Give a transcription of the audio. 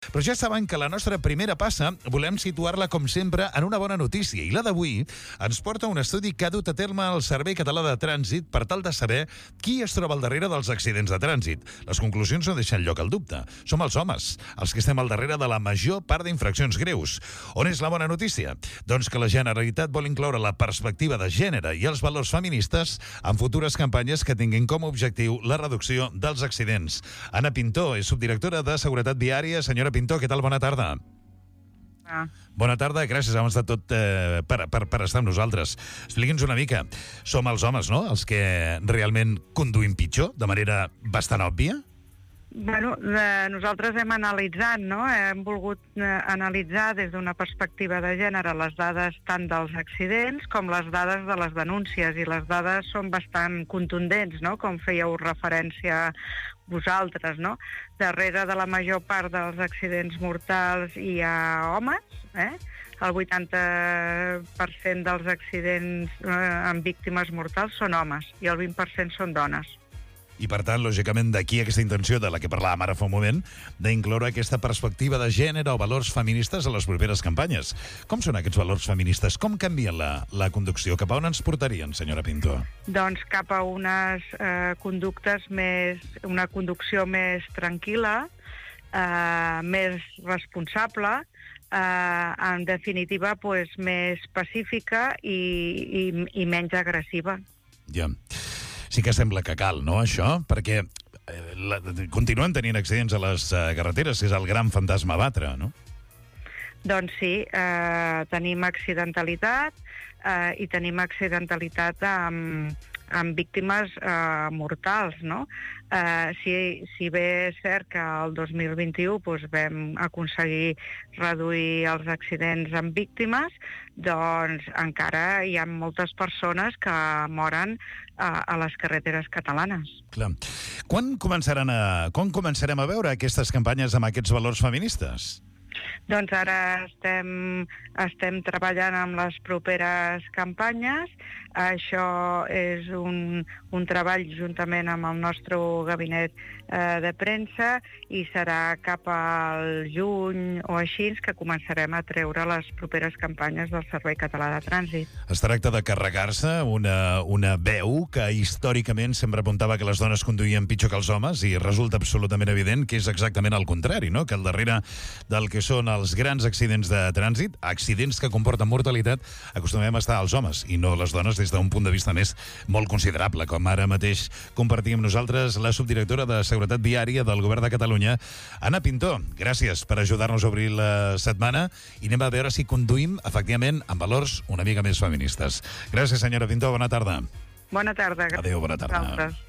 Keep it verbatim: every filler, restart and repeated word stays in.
Però ja saben que la nostra primera passa volem situar-la, com sempre, en una bona notícia. I la d'avui ens porta un estudi que ha dut a terme el Servei Català de Trànsit per tal de saber qui es troba al darrere dels accidents de trànsit. Les conclusions no deixen lloc al dubte. Som els homes, els que estem al darrere de la major part d'infraccions greus. On és la bona notícia? Doncs que la Generalitat vol incloure la perspectiva de gènere i els valors feministes en futures campanyes que tinguin com a objectiu la reducció dels accidents. Anna Pintó és subdirectora de Seguretat Viària. Senyora Pintó, què tal? Bona tarda. Ah. Bona tarda, gràcies abans de tot eh, per, per, per estar amb nosaltres. Expliqui'ns una mica. Som els homes, no?, els que realment conduïm pitjor, de manera bastant òbvia? Bueno, eh, nosaltres hem analitzat, no? Hem volgut eh, analitzar des d'una perspectiva de gènere les dades tant dels accidents com les dades de les denúncies, i les dades són bastant contundents, no?, com fèieu referència vosaltres, no? Darrere de la major part dels accidents mortals hi ha homes, eh? El vuitanta per cent dels accidents eh, amb víctimes mortals són homes i el vint per cent són dones. I, per tant, lògicament, d'aquí aquesta intenció de la que parlàvem ara fa un moment, d'incloure aquesta perspectiva de gènere o valors feministes a les properes campanyes. Com són aquests valors feministes? Com canvien la, la conducció? Cap a on ens portarien, senyora Pintó? Doncs cap a unes eh, conductes més... una conducció més tranquil·la, eh, més responsable, eh, en definitiva, pues, més pacífica i, i, i menys agressiva. Ja. Sí que sembla que cal, no, això? Perquè eh, la, continuen tenint accidents a les eh, carreteres, que és el gran fantasma a batre, no? Doncs sí, eh, tenim accidentalitat eh, i tenim accidentalitat amb, amb víctimes eh, mortals, no? Eh, si, si bé és cert que el dos mil vint-i-u doncs, vam aconseguir reduir els accidents amb víctimes, doncs encara hi ha moltes persones que moren a, a les carreteres catalanes. Clar. Quan començaran a, quan començarem a veure aquestes campanyes amb aquests valors feministes? Doncs ara estem, estem treballant amb les properes campanyes. Això és un, un treball juntament amb el nostre gabinet eh, de premsa, i serà cap al juny o així que començarem a treure les properes campanyes del Servei Català de Trànsit. Es tracta de carregar-se una, una veu que històricament sempre apuntava que les dones conduïen pitjor que els homes, i resulta absolutament evident que és exactament el contrari, no?, que al darrere del que són els grans accidents de trànsit, accidents que comporten mortalitat, acostumem a estar els homes i no les dones, des d'un punt de vista més molt considerable, com ara mateix compartim amb nosaltres la subdirectora de Seguretat Viària del Govern de Catalunya, Anna Pintó. Gràcies per ajudar-nos a obrir la setmana i anem a veure si conduïm efectivament amb valors una mica més feministes. Gràcies, senyora Pintó, bona tarda. Bona tarda. Adéu, bona tarda. Vosaltres.